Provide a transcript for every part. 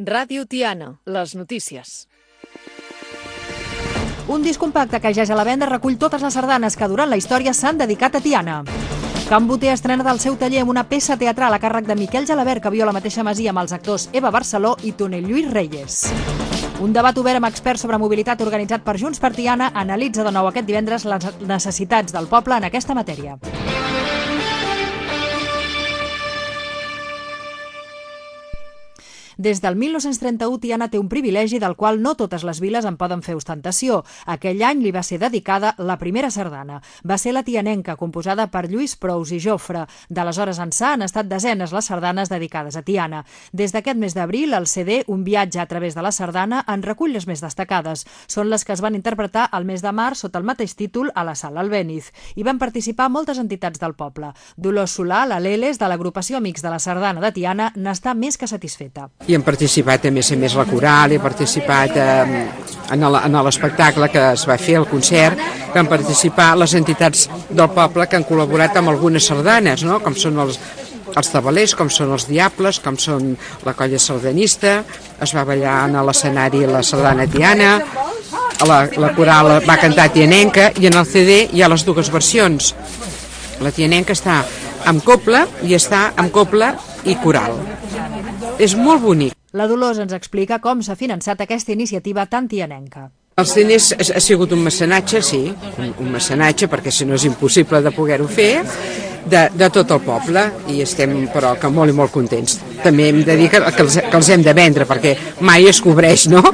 Ràdio Tiana, les notícies. Un disc compacte que ja és a la venda recull totes les sardanes que durant la història s'han dedicat a Tiana. Can Boter estrena del seu taller amb una peça teatral a càrrec de Miquel Gelabert, que viu a la mateixa masia amb els actors Eva Barceló i Tonell Lluís Reyes. Un debat obert amb experts sobre mobilitat organitzat per Junts per Tiana analitza de nou aquest divendres les necessitats del poble en aquesta matèria. Des del 1931, Tiana té un privilegi del qual no totes les viles en poden fer ostentació. Aquell any li va ser dedicada la primera sardana. Va ser la tianenca, composada per Lluís Prous i Jofre. D'aleshores ençà han estat desenes les sardanes dedicades a Tiana. Des d'aquest mes d'abril, el CD Un viatge a través de la sardana en recull les més destacades. Són les que es van interpretar al mes de març sota el mateix títol a la Sala Albéniz. Hi van participar moltes entitats del poble. Dolors Solà, la Leles, de l'agrupació Amics de la Sardana de Tiana, n'està més que satisfeta. I hem participat a més la coral, he participat en l'espectacle que es va fer, el concert, que han participat les entitats del poble que han col·laborat amb algunes sardanes, no? Com són els tabalers, com són els diables, com són la colla sardanista, es va ballar a l'escenari la sardana Tiana, la coral va cantar tianenca i en el CD hi ha les dues versions. La tianenca està amb cobla i està amb cobla i coral. És molt bonic. La Dolors ens explica com s'ha finançat aquesta iniciativa tan tianenca. Els diners ha sigut un mecenatge, sí, un mecenatge, perquè si no és impossible de poder-ho fer, de tot el poble, i estem però que molt i molt contents. També hem de dir que els hem de vendre, perquè mai es cobreix, no?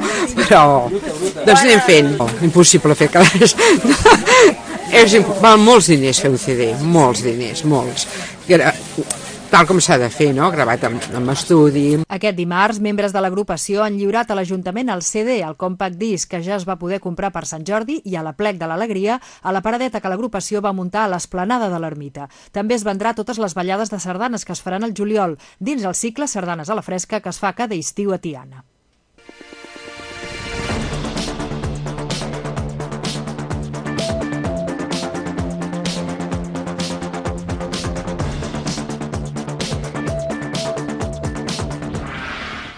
Però doncs anem fent. Impossible fer calés. Val molts diners fer un CD, molts diners, molts. Tal com s'ha de fer, no? Gravat amb estudi. Aquest dimarts, membres de l'agrupació han lliurat a l'Ajuntament el CD, el compact disc, que ja es va poder comprar per Sant Jordi, i a l'Aplec de l'Alegria, a la paradeta que l'agrupació va muntar a l'esplanada de l'Ermita. També es vendrà totes les ballades de sardanes que es faran al juliol, dins el cicle Sardanes a la Fresca, que es fa cada estiu a Tiana.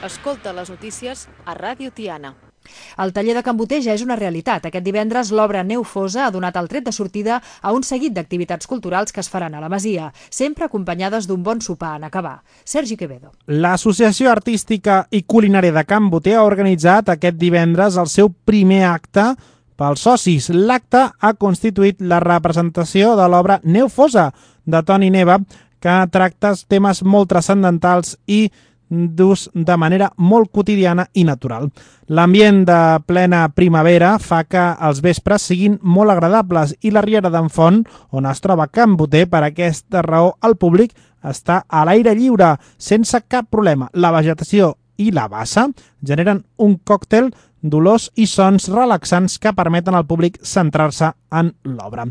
Escolta les notícies a Ràdio Tiana. El taller de Can Boter ja és una realitat. Aquest divendres l'obra Neu Fosa ha donat el tret de sortida a un seguit d'activitats culturals que es faran a la masia, sempre acompanyades d'un bon sopar en acabar. Sergi Quevedo. L'Associació Artística i Culinària de Can Boter ha organitzat aquest divendres el seu primer acte pels socis. L'acte ha constituït la representació de l'obra Neu Fosa, de Toni Neva, que tracta temes molt transcendentals i d'ús de manera molt quotidiana i natural. L'ambient de plena primavera fa que els vespres siguin molt agradables i la Riera d'en Font, on es troba Can Boter, per aquesta raó el públic està a l'aire lliure, sense cap problema. La vegetació i la bassa generen un còctel d'olors i sons relaxants que permeten al públic centrar-se en l'obra.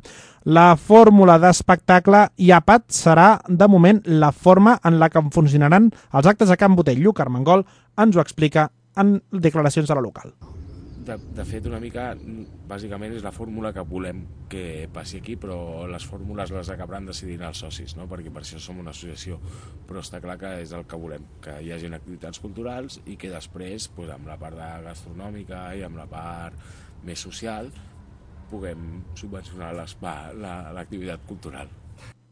La fórmula d'espectacle i àpat serà, de moment, la forma en la que funcionaran els actes a Can Boter. Lluc Armengol ens ho explica en declaracions a la local. De fet, una mica, bàsicament, és la fórmula que volem que passi aquí, però les fórmules les acabaran decidint els socis, no? Perquè per això som una associació, però està clar que és el que volem, que hi hagi activitats culturals i que després, amb la part gastronòmica i amb la part més social, puguem subvencionar l'activitat cultural.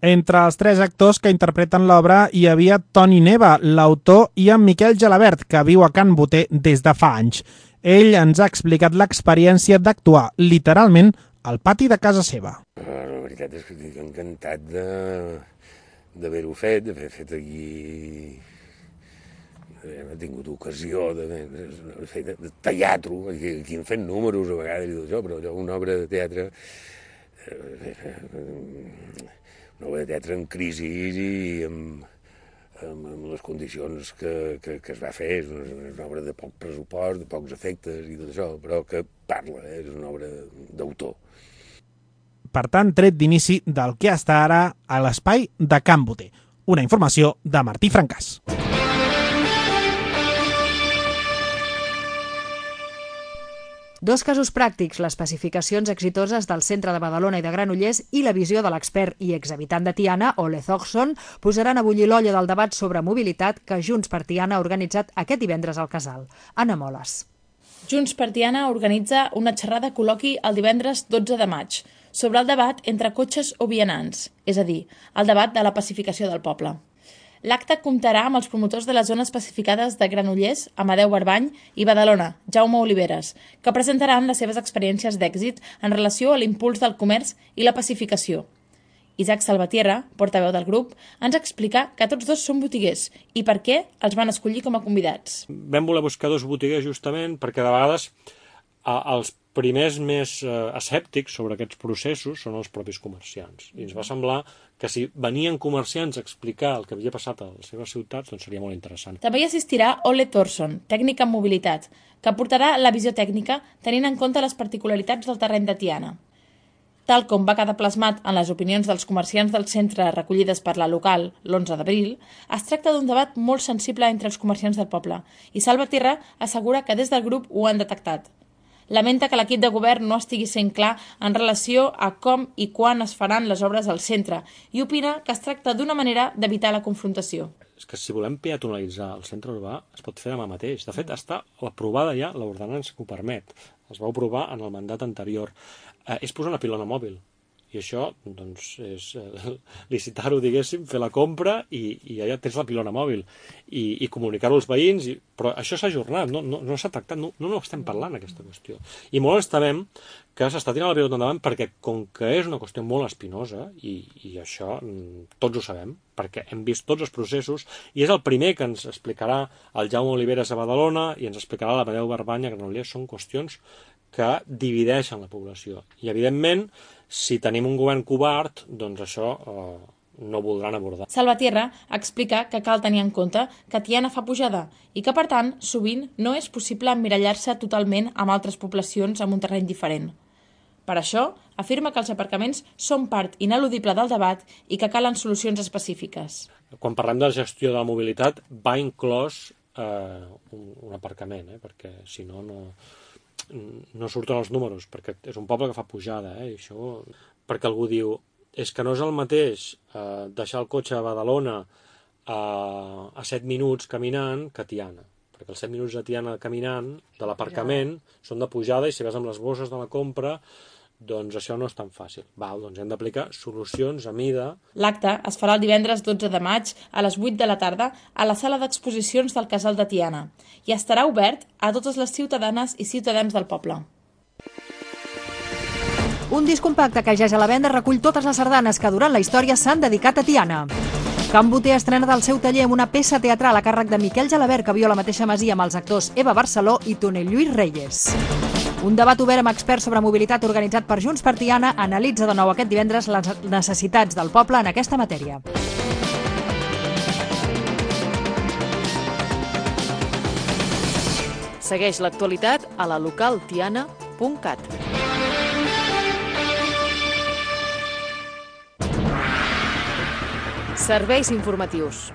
Entre els tres actors que interpreten l'obra hi havia Toni Neva, l'autor, i en Miquel Gelabert, que viu a Can Boter des de fa anys. Ell ens ha explicat l'experiència d'actuar literalment al pati de casa seva. La veritat és que estic encantat d'haver-ho fet, d'haver fet aquí. He tingut ocasió de fer de teatre, aquí hem fet números a vegades i tot això, però una obra de teatre en crisi i amb les condicions que es va fer. És una obra de poc pressupost, de pocs efectes i tot això, però que parla, és una obra d'autor. Per tant, tret d'inici del que està ara a l'espai de Can Boter. Una informació de Martí Francàs. Dos casos pràctics, les pacificacions exitoses del centre de Badalona i de Granollers i la visió de l'expert i exhabitant de Tiana, Ole Thorsson, posaran a bullir l'olla del debat sobre mobilitat que Junts per Tiana ha organitzat aquest divendres al Casal. Anna Moles. Junts per Tiana organitza una xerrada col·loqui el divendres 12 de maig sobre el debat entre cotxes o vianants, és a dir, el debat de la pacificació del poble. L'acte comptarà amb els promotors de les zones pacificades de Granollers, Amadeu Barbany i Badalona, Jaume Oliveres, que presentaran les seves experiències d'èxit en relació a l'impuls del comerç i la pacificació. Isaac Salvatierra, portaveu del grup, ens explica que tots dos són botiguers i per què els van escollir com a convidats. Vam voler buscar dos botiguers justament perquè de vegades els primers més escèptics sobre aquests processos són els propis comerciants. I ens va semblar que si venien comerciants a explicar el que havia passat a les seves ciutats, doncs seria molt interessant. També hi assistirà Ole Thorsson, tècnic en mobilitat, que aportarà la visió tècnica tenint en compte les particularitats del terreny de Tiana. Tal com va quedar plasmat en les opinions dels comerciants del centre recollides per la local l'11 d'abril, es tracta d'un debat molt sensible entre els comerciants del poble i Salvatierra assegura que des del grup ho han detectat. Lamenta que l'equip de govern no estigui sent clar en relació a com i quan es faran les obres al centre i opina que es tracta d'una manera d'evitar la confrontació. És que si volem peatonalitzar el centre urbà es pot fer demà mateix. De fet, està aprovada ja l'ordenança que ho permet. Es va aprovar en el mandat anterior. És posar una pilona mòbil. I això, doncs, és licitar-ho, diguéssim, fer la compra i ja tens la pilona mòbil i comunicar-ho als veïns. Però això s'ha ajornat, no s'ha tractat, no estem parlant aquesta qüestió. I molt ens temem que s'està tirant la pilota endavant perquè, com que és una qüestió molt espinosa, i això tots ho sabem, perquè hem vist tots els processos, i és el primer que ens explicarà el Jaume Oliveres a Badalona i ens explicarà l'Amadeu Barbany a Granollers, són qüestions que divideixen la població. I, evidentment, si tenim un govern covard, doncs això no ho voldran abordar. Salvatierra explica que cal tenir en compte que Tiana fa pujada i que, per tant, sovint no és possible emmirallar-se totalment amb altres poblacions amb un terreny diferent. Per això, afirma que els aparcaments són part ineludible del debat i que calen solucions específiques. Quan parlem de la gestió de la mobilitat, va inclòs un aparcament, perquè si no surten els números, perquè és un poble que fa pujada, i això, perquè algú diu, és que no és el mateix deixar el cotxe a Badalona a 7 minuts caminant que a Tiana, perquè els 7 minuts de Tiana caminant de l'aparcament són de pujada i si vas amb les bosses de la compra, doncs això no és tan fàcil. Doncs hem d'aplicar solucions a mida. L'acte es farà el divendres 12 de maig a les 8 de la tarda a la sala d'exposicions del Casal de Tiana i estarà obert a totes les ciutadanes i ciutadans del poble. Un disc compacte que ja és a la venda recull totes les sardanes que durant la història s'han dedicat a Tiana. Can Boter estrena del seu taller amb una peça teatral a càrrec de Miquel Gelabert que viu a la mateixa masia amb els actors Eva Barceló i Tonell Lluís Reyes. Un debat obert amb experts sobre mobilitat organitzat per Junts per Tiana analitza de nou aquest divendres les necessitats del poble en aquesta matèria. Segueix l'actualitat a la localtiana.cat. Serveis informatius.